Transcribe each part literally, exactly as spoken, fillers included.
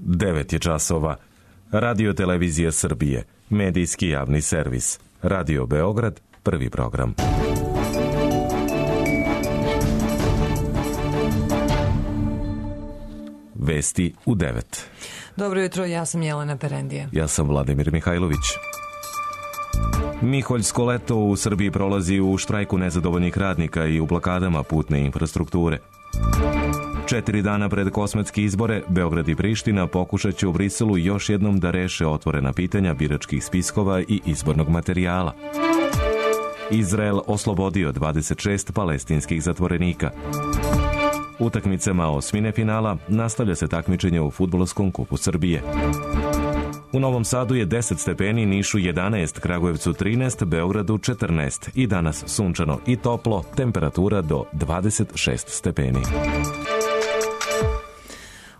devet je časova. Radio Televizija Srbije, medijski javni servis. Radio Beograd, prvi program. Vesti u devet. Dobro jutro, ja sam Jelena Perendija. Ja sam Vladimir Mihajlović. Miholjsko leto u Srbiji prolazi u štrajku nezadovoljnih radnika i u blokadama putne infrastrukture. Četiri dana pred kosmetske izbore, Beograd i Priština pokušat će u Briselu još jednom da reše otvorena pitanja biračkih spiskova i izbornog materijala. Izrael oslobodio dvadeset šest palestinskih zatvorenika. Utakmicama osmine finala nastavlja se takmičenje u Fudbalskom kupu Srbije. U Novom Sadu je deset stepeni, Nišu jedanaest, Kragujevcu trinaest, Beogradu četrnaest i danas sunčano i toplo, temperatura do dvadeset šest stepeni.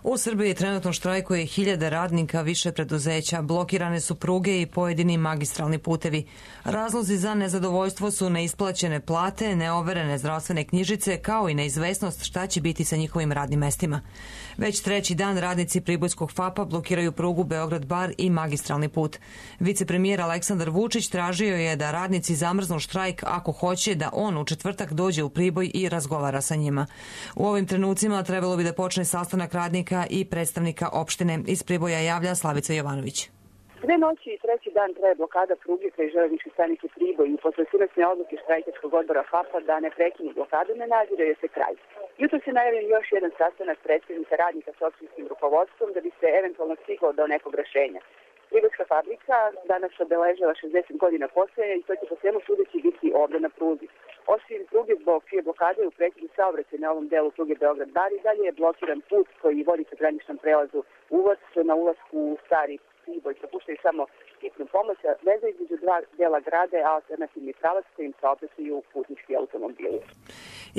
U Srbiji trenutno štrajkuje hiljade radnika više preduzeća, blokirane su pruge i pojedini magistralni putevi. Razlozi za nezadovoljstvo su neisplaćene plate, neoverene zdravstvene knjižice, kao i neizvesnost šta će biti sa njihovim radnim mestima. Već treći dan radnici Pribojskog FAP-a blokiraju prugu Beograd-Bar i magistralni put. Vicepremijer Aleksandar Vučić tražio je da radnici zamrznu štrajk ako hoće da on u četvrtak dođe u Priboj i razgovara sa njima. U ovim trenucima trebalo bi da počne sastanak radnika i predstavnika opštine. Iz Priboja javlja Slavica Jovanović. Dve noći i treći dan traje blokada pruge kraj železničke stanice Priboj i posle sinoćne odluke štrajkačkog odbora FAP-a da ne prekinu blokadu ne nadzire se kraj. Jutro se najavljen još jedan sastanak predstavnika radnika s opštinskim rukovodstvom da bi se eventualno stiglo do nekog rešenja. Pribojska fabrika danas obeležava šezdeset godina postoja i to će po svemu sudeći biti ovde na pruzi. Osim pruge zbog čije blokade u prekidu saobraćaj na ovom delu pruge Beograd-Bar i dalje je blokiran put koji vodi ka graničnom prelazu Uvac na ulasku u Stari Priboj. Propuštaju samo hitnu pomoć, a veza između dva dela grada je alternativni pravac kojim saobraćaju putnički automobili.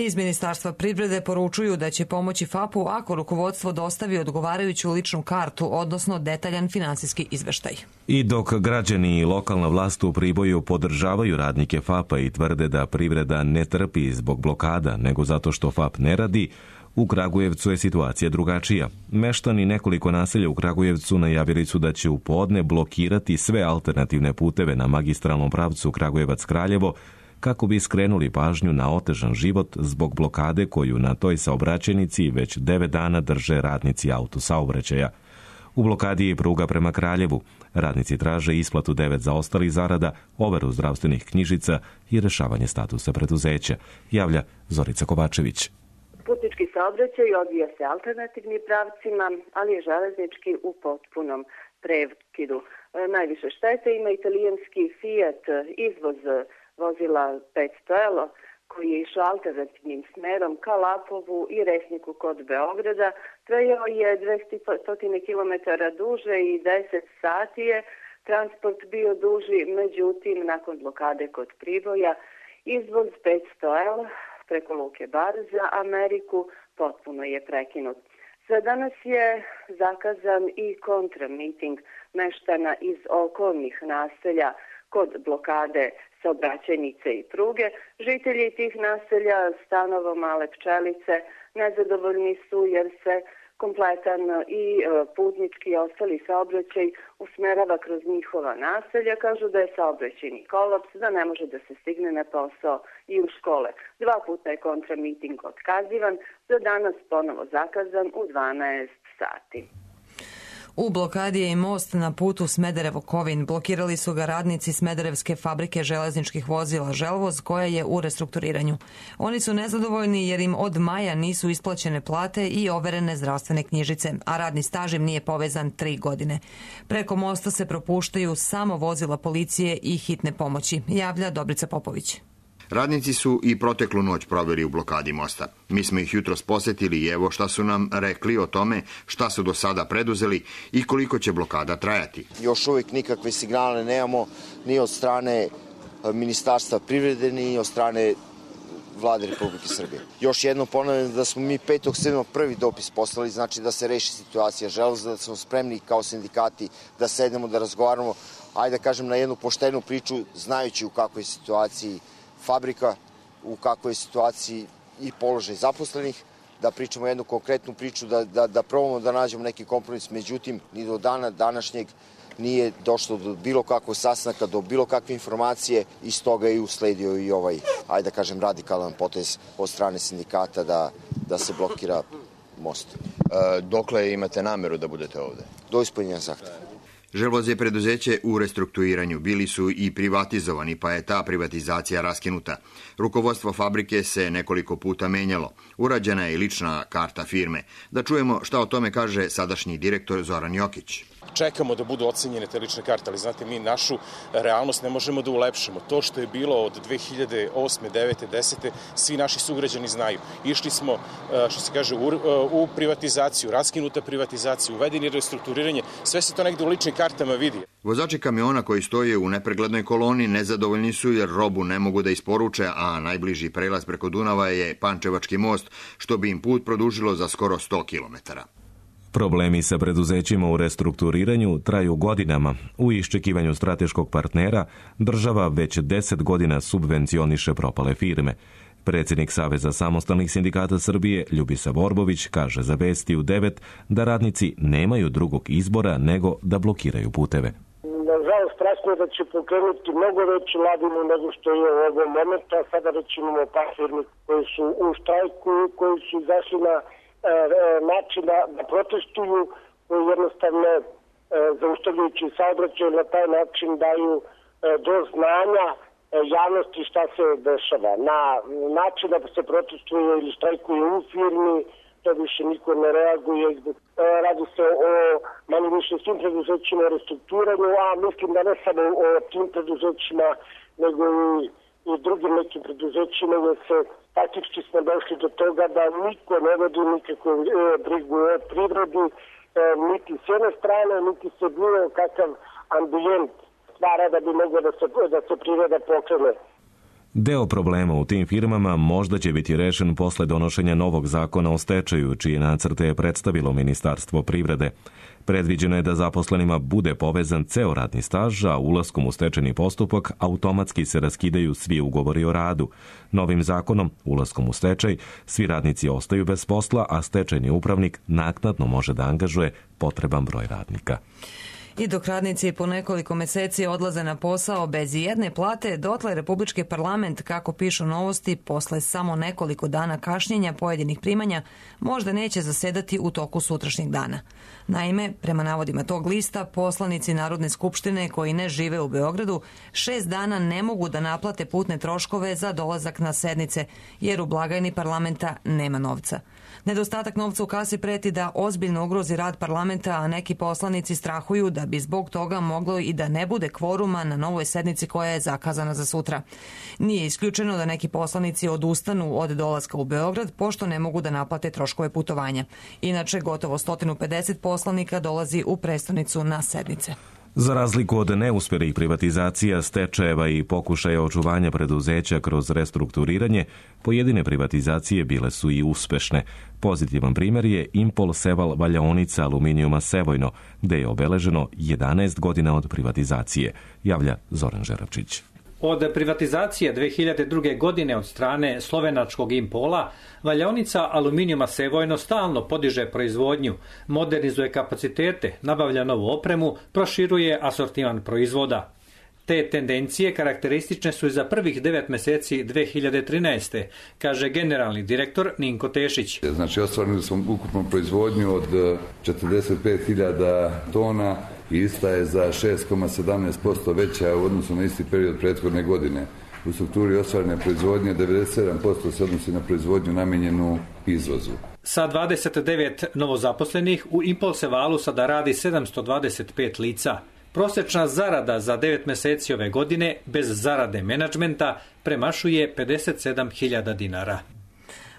Iz Ministarstva privrede poručuju da će pomoći FAP-u ako rukovodstvo dostavi odgovarajuću ličnu kartu, odnosno detaljan finansijski izveštaj. I dok građani i lokalna vlast u Priboju podržavaju radnike FAP-a i tvrde da privreda ne trpi zbog blokada, nego zato što FAP ne radi, u Kragujevcu je situacija drugačija. Meštani nekoliko naselja u Kragujevcu najavili su da će u podne blokirati sve alternativne puteve na magistralnom pravcu Kragujevac-Kraljevo kako bi skrenuli pažnju na otežan život zbog blokade koju na toj saobraćajnici već devet dana drže radnici autosaobraćaja. U blokadi je pruga prema Kraljevu. Radnici traže isplatu devet zaostalih zarada, overu zdravstvenih knjižica i rešavanje statusa preduzeća, javlja Zorica Kovačević. Putnički saobraćaj odvija se alternativnim pravcima, ali je železnički u potpunom prekidu. Najviše štete ima italijanski Fiat izvoz vozila petsto L koji je išao alternativnim smerom ka Lapovu i Resniku kod Beograda. Trajao je dvesta kilometara duže i deset sati je transport bio duži, međutim nakon blokade kod Priboja izvoz petsto L preko Luke Bar za Ameriku potpuno je prekinut. Za danas je zakazan i kontramiting meštana iz okolnih naselja kod blokade saobraćajnice i pruge. Žitelji tih naselja stanovo Male Pčelice nezadovoljni su jer se kompletan i putnički i ostali saobraćaj usmerava kroz njihova naselja. Kažu da je saobraćajni kolaps, da ne može da se stigne na posao i u škole. Dva puta je kontramiting otkazivan, za danas ponovo zakazan u dvanaest sati. U blokadi je i most na putu Smederevo-Kovin. Blokirali su ga radnici Smederevske fabrike železničkih vozila Želvoz, koja je u restrukturiranju. Oni su nezadovoljni jer im od maja nisu isplaćene plate i overene zdravstvene knjižice, a radni staž im nije povezan tri godine. Preko mosta se propuštaju samo vozila policije i hitne pomoći, javlja Dobrica Popović. Radnici su i proteklu noć proveli u blokadi mosta. Mi smo ih jutros posetili i evo šta su nam rekli o tome šta su do sada preduzeli i koliko će blokada trajati. Još uvijek nikakve signale nemamo ni od strane Ministarstva privrede, ni od strane Vlade Republike Srbije. Još jednom ponavljam da smo mi petog sedmog prvi dopis poslali, znači da se reši situacija Želvoza, da smo spremni kao sindikati da sednemo, da razgovaramo, ajde da kažem na jednu poštenu priču, znajući u kakvoj situaciji fabrika, u kakvoj situaciji i položaj zaposlenih, da pričamo jednu konkretnu priču, da, da, da probamo da nađemo neki kompromis. Međutim, ni do dana današnjeg nije došlo do bilo kakvog sastanka, do bilo kakve informacije i stoga je usledio i ovaj, ajde da kažem, radikalan potez od strane sindikata da, da se blokira most. E, dokle imate nameru da budete ovde? Do ispunjenja zahteva. Želvoz je preduzeće u restrukturiranju, bili su i privatizovani, pa je ta privatizacija raskinuta. Rukovodstvo fabrike se nekoliko puta menjalo. Urađena je i lična karta firme. Da čujemo šta o tome kaže sadašnji direktor Zoran Jokić. Čekamo da budu ocenjene te lične karte, ali znate, mi našu realnost ne možemo da ulepšamo. To što je bilo od dve hiljade osme, devete, desete, svi naši sugrađani znaju. Išli smo, što se kaže, u, u privatizaciju, raskinuta privatizaciju, uvedeni restrukturiranje, sve se to negde u ličnim kartama vidi. Vozači kamiona koji stoje u nepreglednoj koloni nezadovoljni su jer robu ne mogu da isporuče, a najbliži prelaz preko Dunava je Pančevački most, što bi im put produžilo za skoro sto kilometara. Problemi sa preduzećima u restrukturiranju traju godinama. U iščekivanju strateškog partnera država već deset godina subvencioniše propale firme. Predsjednik Saveza samostalnih sindikata Srbije Ljubisa Borbović kaže za Vesti u devet da radnici nemaju drugog izbora nego da blokiraju puteve. Nažalost, strašno je da će pokrenuti mnogo veću ladinu nego što je u ovom momentu, a sada već imamo par firmi koji su u štrajku, koji su izašli na način da, da protestuju, koji jednostavno e, zaustavljajući saobraćaj na taj način daju e, do znanja e, javnosti šta se dešava. Na način da se protestuje ili štrajkuje u firmi, to više niko ne reaguje. E, radi se o manje više svim preduzećima o restrukturiranju, a mislim da ne samo o tim preduzećima, nego i, i drugim nekim preduzećima, jer se faktički smo došli do toga da niko ne vodi nikakvu e, brigu o privredi, e, niti s jedne strane, niti se bilo kakav ambijent stvara da bi moglo da se, da se privreda pokrene. Deo problema u tim firmama možda će biti rešen posle donošenja novog zakona o stečaju, čije nacrte je predstavilo Ministarstvo privrede. Predviđeno je da zaposlenima bude povezan ceo radni staž, a ulaskom u stečajni postupak automatski se raskidaju svi ugovori o radu. Novim zakonom, ulaskom u stečaj, svi radnici ostaju bez posla, a stečajni upravnik naknadno može da angažuje potreban broj radnika. I dok radnici po nekoliko meseci odlaze na posao bez jedne plate, dotle Republički parlament, kako pišu Novosti, posle samo nekoliko dana kašnjenja pojedinih primanja, možda neće zasedati u toku sutrašnjeg dana. Naime, prema navodima tog lista, poslanici Narodne skupštine koji ne žive u Beogradu šest dana ne mogu da naplate putne troškove za dolazak na sednice, jer u blagajni parlamenta nema novca. Nedostatak novca u kasi preti da ozbiljno ugrozi rad parlamenta, a neki poslanici strahuju da bi zbog toga moglo i da ne bude kvoruma na novoj sednici koja je zakazana za sutra. Nije isključeno da neki poslanici odustanu od dolaska u Beograd, pošto ne mogu da naplate troškove putovanja. Inače, gotovo sto pedeset poslanika dolazi u prestonicu na sednice. Za razliku od neuspelih privatizacija, stečajeva i pokušaja očuvanja preduzeća kroz restrukturiranje, pojedine privatizacije bile su i uspešne. Pozitivan primjer je Impol Seval valjaonica aluminijuma Sevojno, gde je obeleženo jedanaest godina od privatizacije, javlja Zoran Žeravčić. Od privatizacije dve hiljade druge. godine od strane slovenačkog Impola, valjaonica aluminijuma Sevojno stalno podiže proizvodnju, modernizuje kapacitete, nabavlja novu opremu, proširuje asortiman proizvoda. Te tendencije karakteristične su i za prvih devet meseci dve hiljade trinaeste. kaže generalni direktor Ninko Tešić. Znači, ostvarili smo ukupnu proizvodnju od četrdeset pet hiljada tona i ista je za šest zarez sedamnaest posto veća u odnosu na isti period prethodne godine. U strukturi ostvarene proizvodnje devedeset sedam posto se odnosi na proizvodnju namijenjenu izvozu. Sa dvadeset devet novozaposlenih u Impol Sevalu sada radi sedamsto dvadeset pet lica. Prosečna zarada za devet meseci ove godine bez zarade menadžmenta premašuje pedeset sedam hiljada dinara.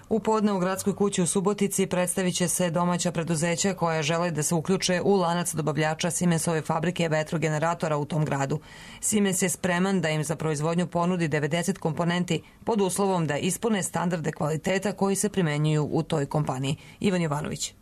U podne u Gradskoj kući u Subotici predstavit će se domaća preduzeća koja žele da se uključe u lanac dobavljača Siemensove fabrike vetrogeneratora u tom gradu. Siemens je spreman da im za proizvodnju ponudi devedeset komponenti pod uslovom da ispune standarde kvaliteta koji se primenjuju u toj kompaniji. Ivan Jovanović.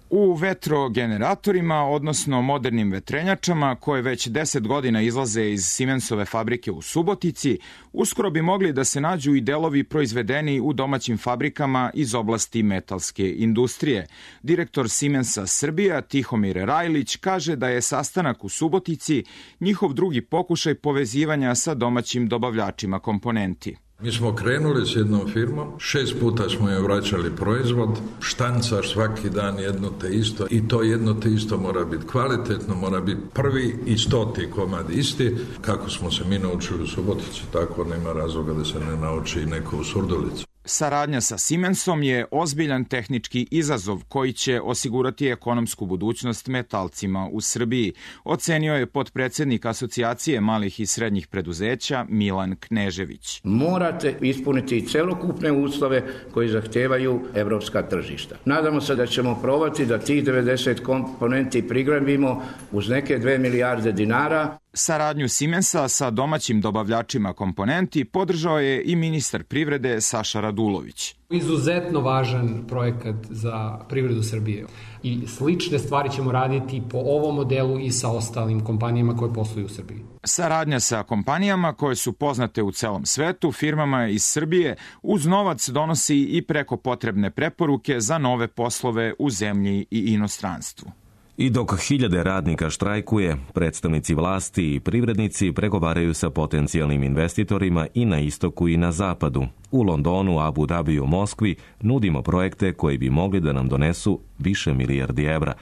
U vetrogeneratorima, odnosno modernim vetrenjačama, koje već deset godina izlaze iz Siemensove fabrike u Subotici, uskoro bi mogli da se nađu i delovi proizvedeni u domaćim fabrikama iz oblasti metalske industrije. Direktor Siemensa Srbija, Tihomir Rajlić, kaže da je sastanak u Subotici njihov drugi pokušaj povezivanja sa domaćim dobavljačima komponenti. Mi smo krenuli s jednom firmom, šest puta smo joj vraćali proizvod, štancaš svaki dan jedno te isto i to jedno te isto mora biti kvalitetno, mora biti prvi i stoti komad isti. Kako smo se mi naučili u Subotici, tako nema razloga da se ne nauči i neko u Surdulici. Saradnja sa Siemensom je ozbiljan tehnički izazov koji će osigurati ekonomsku budućnost metalcima u Srbiji, ocenio je potpredsednik Asocijacije malih i srednjih preduzeća Milan Knežević. Morate ispuniti celokupne uslove koji zahtevaju evropska tržišta. Nadamo se da ćemo probati da tih devedeset komponenti prigrabimo uz neke dve milijarde dinara. Saradnju Siemensa sa domaćim dobavljačima komponenti podržao je i ministar privrede Saša Radulović. Izuzetno važan projekat za privredu Srbije i slične stvari ćemo raditi po ovom modelu i sa ostalim kompanijama koje posluju u Srbiji. Saradnja sa kompanijama koje su poznate u celom svetu, firmama iz Srbije, uz novac donosi i preko potrebne preporuke za nove poslove u zemlji i inostranstvu. I dok hiljade radnika štrajkuje, predstavnici vlasti i privrednici pregovaraju sa potencijalnim investitorima i na istoku i na zapadu. U Londonu, Abu Dabiju, Moskvi nudimo projekte koji bi mogli da nam donesu više milijardi evra.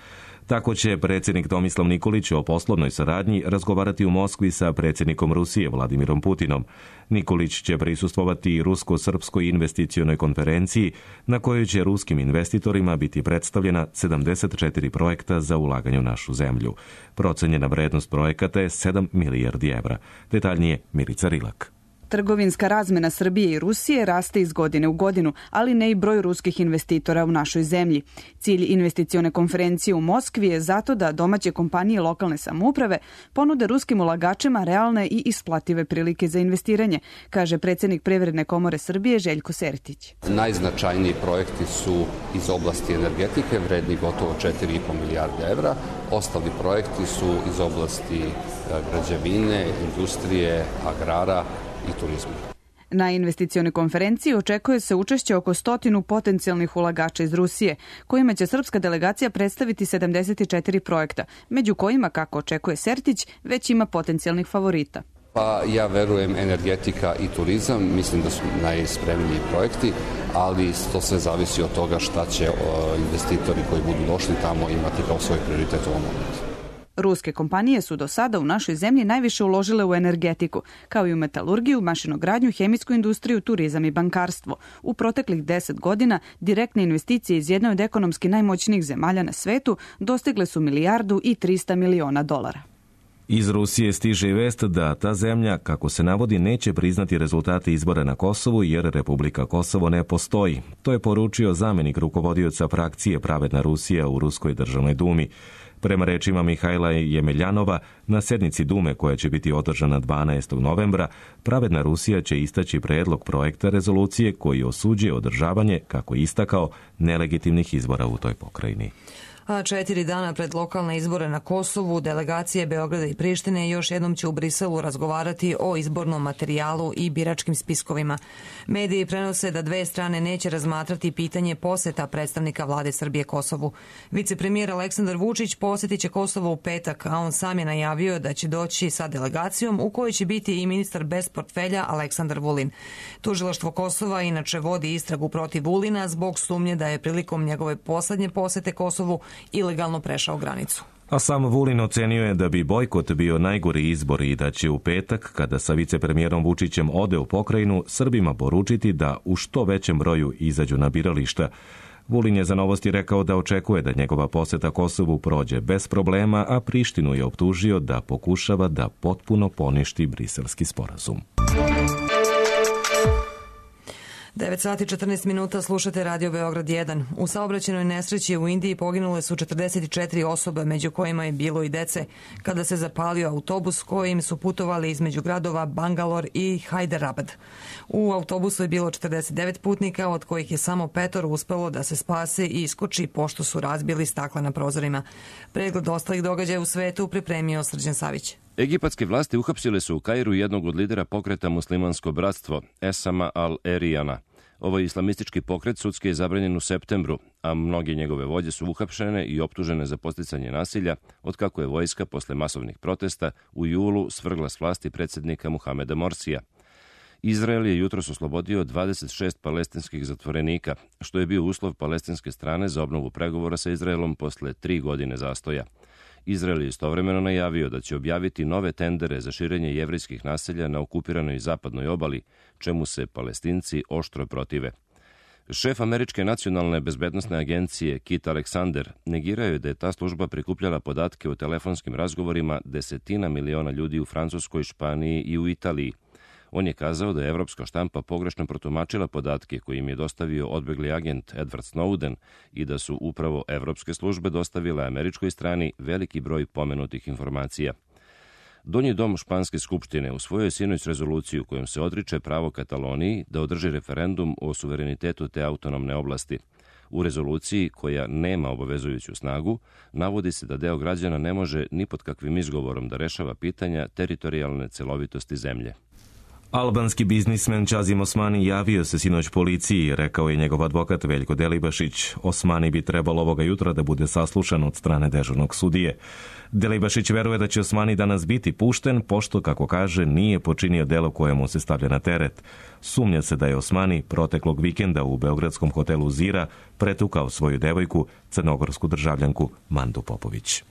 Tako će predsjednik Tomislav Nikolić o poslovnoj saradnji razgovarati u Moskvi sa predsjednikom Rusije Vladimirom Putinom. Nikolić će prisustvovati i rusko-srpskoj investicionoj konferenciji na kojoj će ruskim investitorima biti predstavljena sedamdeset četiri projekta za ulaganje u našu zemlju. Procenjena vrednost projekata je sedam milijardi evra. Detaljnije Milica Rilak. Trgovinska razmena Srbije i Rusije raste iz godine u godinu, ali ne i broj ruskih investitora u našoj zemlji. Cilj investicione konferencije u Moskvi je zato da domaće kompanije lokalne samouprave ponude ruskim ulagačima realne i isplative prilike za investiranje, kaže predsjednik Privredne komore Srbije Željko Sertić. Najznačajniji projekti su iz oblasti energetike, vredni gotovo četiri i po milijarde evra. Ostali projekti su iz oblasti građevine, industrije, agrara i turizmu. Na investicionoj konferenciji očekuje se učešće oko stotinu potencijalnih ulagača iz Rusije, kojima će srpska delegacija predstaviti sedamdeset četiri projekta, među kojima, kako očekuje Sertić, već ima potencijalnih favorita. Pa ja verujem energetika i turizam, mislim da su najspremniji projekti, ali to sve zavisi od toga šta će investitori koji budu došli tamo imati kao svoj prioritet u ovom momentu. Ruske kompanije su do sada u našoj zemlji najviše uložile u energetiku, kao i u metalurgiju, mašinogradnju, hemijsku industriju, turizam i bankarstvo. U proteklih deset godina direktne investicije iz jedne od ekonomski najmoćnijih zemalja na svetu dostigle su milijardu i trista miliona dolara. Iz Rusije stiže vest da ta zemlja, kako se navodi, neće priznati rezultate izbora na Kosovu jer Republika Kosovo ne postoji. To je poručio zamenik rukovodioca frakcije Pravedna Rusija u Ruskoj državnoj dumi. Prema rečima Mihajla Jemeljanova, na sednici Dume koja će biti održana dvanaestog novembra, Pravedna Rusija će istaći predlog projekta rezolucije koji osuđuje održavanje, kako je istakao, nelegitimnih izbora u toj pokrajini. A četiri dana pred lokalne izbore na Kosovu, delegacije Beograda i Prištine još jednom će u Briselu razgovarati o izbornom materijalu i biračkim spiskovima. Mediji prenose da dve strane neće razmatrati pitanje poseta predstavnika vlade Srbije Kosovu. Vicepremijer Aleksandar Vučić posjetit će Kosovo u petak, a on sam je najavio da će doći sa delegacijom u kojoj će biti i ministar bez portfelja Aleksandar Vulin. Tužilaštvo Kosova inače vodi istragu protiv Vulina zbog sumnje da je prilikom njegove poslednje posete Kosovu ilegalno prešao granicu. A sam Vulin ocenio je da bi bojkot bio najgori izbor i da će u petak, kada sa vicepremijerom Vučićem ode u pokrajinu, Srbima poručiti da u što većem broju izađu na birališta. Vulin je za Novosti rekao da očekuje da njegova poseta Kosovu prođe bez problema, a Prištinu je optužio da pokušava da potpuno poništi Briselski sporazum. devet sati četrnaest minuta, slušate Radio Beograd jedan. U saobraćajnoj nesreći u Indiji poginule su četrdeset četiri osobe, među kojima je bilo i dece, kada se zapalio autobus kojim su putovali između gradova Bangalore i Hyderabad. U autobusu je bilo četrdeset devet putnika, od kojih je samo petoro uspelo da se spase i iskoči pošto su razbili stakla na prozorima. Pregled ostalih događaja u svetu pripremio Srđan Savić. Egipatske vlasti uhapsile su u Kairu jednog od lidera pokreta Muslimansko bratstvo, Esama al-Erijana. Ovaj islamistički pokret sudski je zabranjen u septembru, a mnoge njegove vođe su uhapšene i optužene za podsticanje nasilja, otkako je vojska posle masovnih protesta u julu svrgla s vlasti predsjednika Muhameda Morsija. Izrael je jutros oslobodio dvadeset šest palestinskih zatvorenika, što je bio uslov palestinske strane za obnovu pregovora sa Izraelom posle tri godine zastoja. Izrael je istovremeno najavio da će objaviti nove tendere za širenje jevrejskih naselja na okupiranoj zapadnoj obali, čemu se Palestinci oštro protive. Šef Američke nacionalne bezbednosne agencije Kit Alexander negirao je da je ta služba prikupljala podatke o telefonskim razgovorima desetina miliona ljudi u Francuskoj, Španiji i u Italiji. On je kazao da je evropska štampa pogrešno protumačila podatke koje im je dostavio odbegli agent Edward Snowden i da su upravo evropske službe dostavile američkoj strani veliki broj pomenutih informacija. Donji dom Španske skupštine usvojio je sinoć rezoluciju kojom se odriče pravo Kataloniji da održi referendum o suverenitetu te autonomne oblasti. U rezoluciji, koja nema obavezujuću snagu, navodi se da deo građana ne može ni pod kakvim izgovorom da rešava pitanja teritorijalne celovitosti zemlje. Albanski biznismen Čazim Osmani javio se sinoć policiji, rekao je njegov advokat Veljko Delibašić. Osmani bi trebalo ovoga jutra da bude saslušan od strane dežurnog sudije. Delibašić veruje da će Osmani danas biti pušten, pošto, kako kaže, nije počinio delo koje mu se stavlja na teret. Sumnja se da je Osmani proteklog vikenda u beogradskom hotelu Zira pretukao svoju devojku, crnogorsku državljanku Mandu Popović.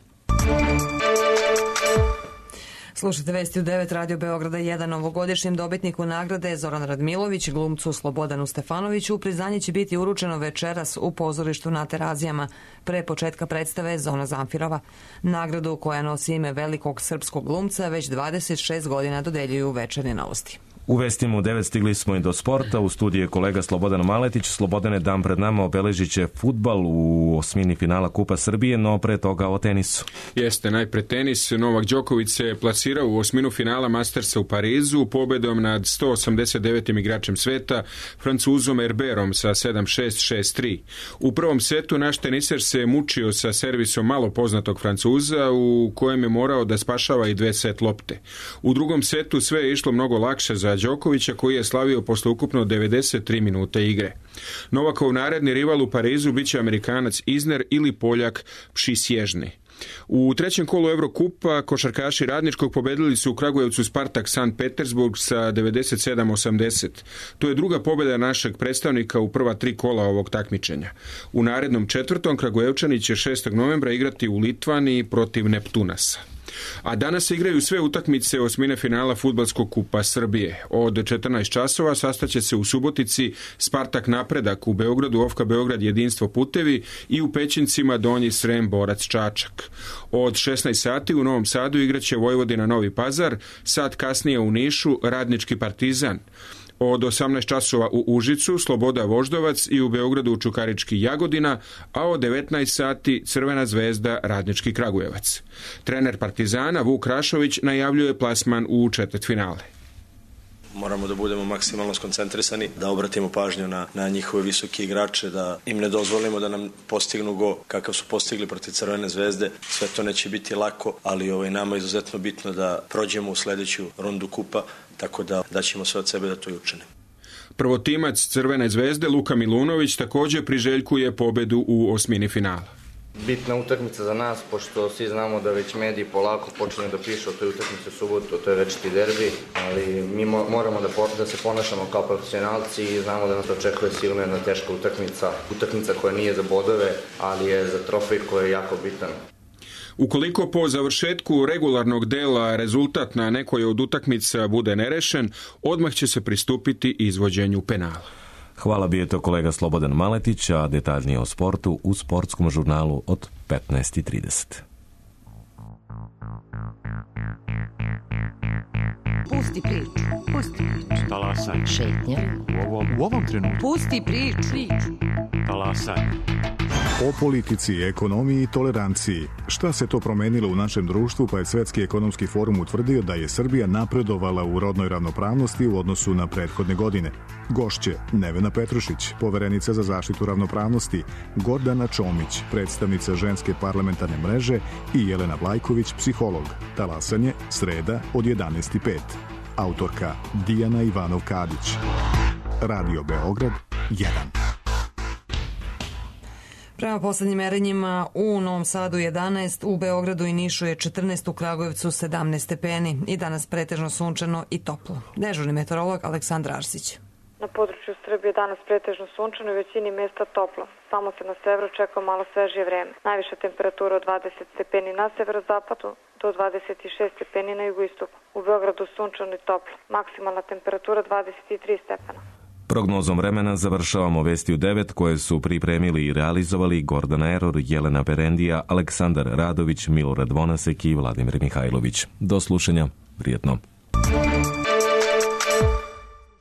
Slušajte vesti u devet Radio Beograda jedan. Ovogodišnjem dobitniku nagrade Zoran Radmilović, glumcu Slobodanu Stefanoviću, priznanje će biti uručeno večeras u pozorištu na Terazijama. Pre početka predstave Zona Zamfirova. Nagradu, koja nosi ime velikog srpskog glumca, već dvadeset šest godina dodeljuju Večernje novosti. U vestima u devet stigli smo i do sporta. U studiju je kolega Slobodan Maletić. Slobodane, dan pred nama obeležit će fudbal u osmini finala Kupa Srbije, no pre toga o tenisu. Jeste, najpre tenis. Novak Đoković se plasirao u osminu finala Mastersa u Parizu pobedom nad sto osamdeset devetim igračem sveta, Francuzom Herberom sa sedam šest, šest tri. U prvom setu naš teniser se mučio sa servisom malo poznatog Francuza, u kojem je morao da spašava i dve set lopte. U drugom setu sve je išlo mnogo lakše za Đokovića, koji je slavio posle ukupno devedeset tri minute igre. Novakov naredni rival u Parizu biće Amerikanac Isner ili Poljak Pšisježni. U trećem kolu Evrokupa košarkaši Radničkog pobedili su u Kragujevcu Spartak Sankt Petersburg sa devedeset sedam osamdeset. To je druga pobjeda našeg predstavnika u prva tri kola ovog takmičenja. U narednom četvrtom Kragujevčani će šestog novembra igrati u Litvaniji protiv Neptunasa. A danas se igraju sve utakmice osmine finala Fudbalskog kupa Srbije. Od četrnaest časova sastaće se u Subotici Spartak Napredak, u Beogradu Ofka Beograd Jedinstvo Putevi i u Pećincima Donji Srem Borac Čačak. Od šesnaest sati u Novom Sadu igraće Vojvodina Novi Pazar, sat kasnije u Nišu Radnički Partizan. Od osamnaest časova u Užicu Sloboda Voždovac i u Beogradu Čukarički Jagodina, a od devetnaest sati Crvena zvezda Radnički Kragujevac. Trener Partizana Vuk Rašović najavljuje plasman u četvrtfinale. Moramo da budemo maksimalno skoncentrisani, da obratimo pažnju na, na njihove visoke igrače, da im ne dozvolimo da nam postignu go kakav su postigli protiv Crvene zvezde. Sve to neće biti lako, ali ovaj, nama je izuzetno bitno da prođemo u sledeću rundu kupa, tako da daćemo sve od sebe da to i učinimo. Prvotimac Crvene zvezde Luka Milunović također priželjkuje pobedu u osmini finala. Bitna utakmica za nas, pošto svi znamo da već mediji polako počinju da pišu o toj utakmici u subotu, to je večiti derbi, ali mi moramo da, po, da se ponašamo kao profesionalci i znamo da nas očekuje sigurno jedna teška utakmica, utakmica koja nije za bodove, ali je za trofej koji je jako bitan. Ukoliko po završetku regularnog dela rezultat na nekoj od utakmica bude nerešen, odmah će se pristupiti izvođenju penala. Hvala, bio je to kolega Slobodan Maletić, a detaljnije o sportu u sportskom žurnalu od petnaest i trideset. Pusti priču. Pusti priču. Talasaj. Šetnja. U ovom, u ovom trenutku. Pusti priču. Talasaj. O politici, ekonomiji i toleranciji. Šta se to promenilo u našem društvu, pa je Svetski ekonomski forum utvrdio da je Srbija napredovala u rodnoj ravnopravnosti u odnosu na prethodne godine. Gošće Nevena Petrušić, poverenica za zaštitu ravnopravnosti, Gordana Čomić, predstavnica Ženske parlamentarne mreže i Jelena Vlajković, psiholog. Talasanje, sreda od jedanaest i pet. Autorka Dijana Ivanov-Kadić. Radio Beograd jedan. Prema poslednjim merenjima u Novom Sadu jedanaest, u Beogradu i Nišu je četrnaest, u Kragujevcu sedamnaest stepeni i danas pretežno sunčano i toplo. Dežurni meteorolog Aleksandar Arsić. Na području Srbije danas pretežno sunčano i većini mesta toplo. Samo se na severu čeka malo svežije vreme. Najviša temperatura od dvadeset stepeni na severozapadu do dvadeset šest stepeni na jugoistoku. U Beogradu sunčano i toplo. Maksimalna temperatura dvadeset tri stepena. Prognozom vremena završavamo vesti u devet koje su pripremili i realizovali Gordana Eror, Jelena Perendija, Aleksandar Radović, Milorad Vonasek i Vladimir Mihajlović. Do slušanja, prijetno.